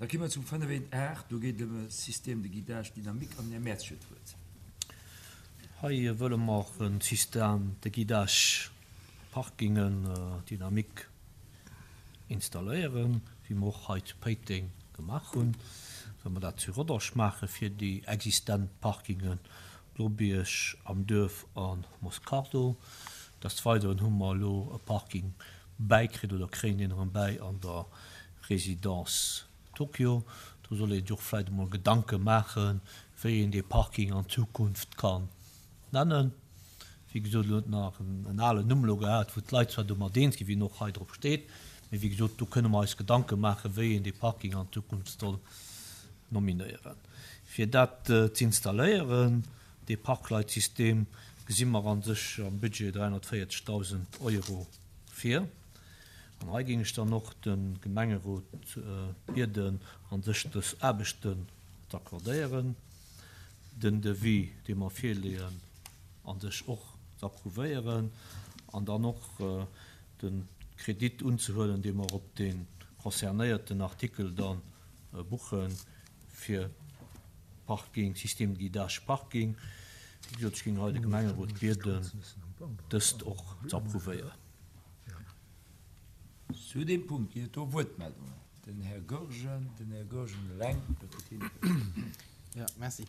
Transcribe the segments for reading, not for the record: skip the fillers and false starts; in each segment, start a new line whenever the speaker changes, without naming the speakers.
Da gi mer zum 5.1.8, do geet et ëm e Système de guidage dynamique an den Här Mertz huet d'Wuert.
Hei wëlle mer e Système de guidage Parkingen dynamique installéieren, wéi mer och hei zu Péiteng gemaach hunn. Wëlle mer dat zu Rodange maache fir déi existent Parkingen Blobierg, Am Duerf a Moscardo. Des Weideren hu mer elo e Parking bäikritt oder kréien deen erëm bäi an der Résidence Tokyo. Do soll ee sech och vläicht emol Gedanke maachen, wéi een dee Parking an Zukunft kann nennen. Wéi gesot, elo huet en nach en alen Numm elo gehat, wou d'Leit zwar domat eens ginn, wéi en och hei drop steet, mee wéi gesot, do kënne mer eis Gedanke maachen, wéi een dee Parking an Zukunft soll nominéieren. Fir dat z'installéieren, dee Parkleitsystem, gesi mer a sech am Budget 340.000 Euro vir. An hei géing ech dann och de Gemengerot bieden, a sech dës Aarbechten z'accordéieren, den Devis, dee mer virleeën, a sech och z'approuvéieren an dann och de Kredit unzehuelen, dee mer op dee concernéierten Artikel da buche fir Parking, Système de guidage parking. Wéi gesot, ech géing hei de Gemengerot bieden, dëst och z'approuvéieren.
Zu deem Punkt ginn et do Wuertmeldungen. Den Här Goergen, den Här Goergen eleng, da kritt hien d'Wuert.
Jo, merci.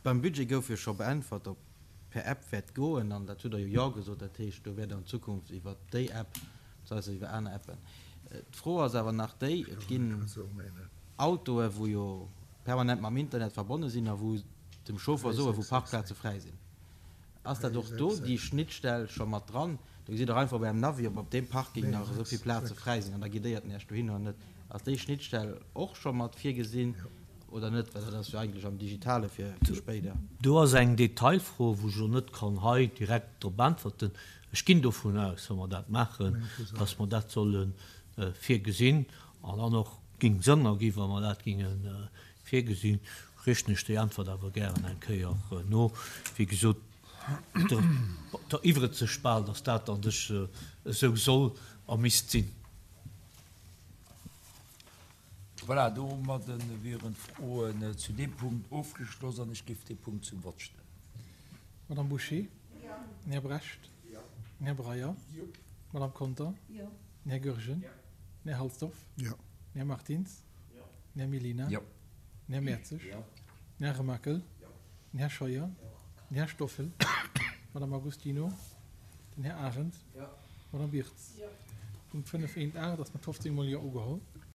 Beim Budget gouf jo scho beäntwert, ob per App wäert goen, an dat hutt Der jo Jo gesot. Dat heescht, do wäert an Zukunft iwwert déi App, das heisst iwwer aner Appen. D'Fro ass awer nach déi, Et ginn Autoe wou jo permanent mam Internet verbonne sinn a wou dem Chauffer soe wou Parkplaze fräi sinn. Ass dat och do déi Schnittstell scho mat dran? Do gesitt Der einfach op Ärem Navi, ob op deem Parking nach esou vill Plaze fräi sinn an da guidéiert en Iech dohin oder net. Ass déi Schnittstell och scho mat virgesinn oder net? Well dat ass jo eigentlech am Digitale fir spéider.
Do ass eng Detailfro, wou ech elo net kann hei direkt drop äntwerten. Ech ginn dovun aus, wa mer dat maachen, dass mer dat solle virgesinn an dann och géing Sënn erginn, wa mer dat géinge virgesinn. Richten ech déi Äntwert awer gären eng Kéier no. Wéi gesot, et eriwwert sech bal, dass dat a sech esou soll a misst sinn.
Voilà, domadde wieren d'Froen zu deem Punkt ofgeschloss an ech géif dee Punkt zum Vott stellen.
Madame Bouché? Den Här Brecht? Den Här Breyer? D'Madame Conter? Den Här Goergen? Den Här Halsdorf? Den Här Martins? Den Här Mellina? Den Här Mertzig? Den Här Remakel? Den Här Scheuer? Den Här Stoffel? D'Madame Agostino? Den Här Arendt? D'Madame Wirtz? Punkt 5.1.8 ass mat 15 mol Jo ugeholl.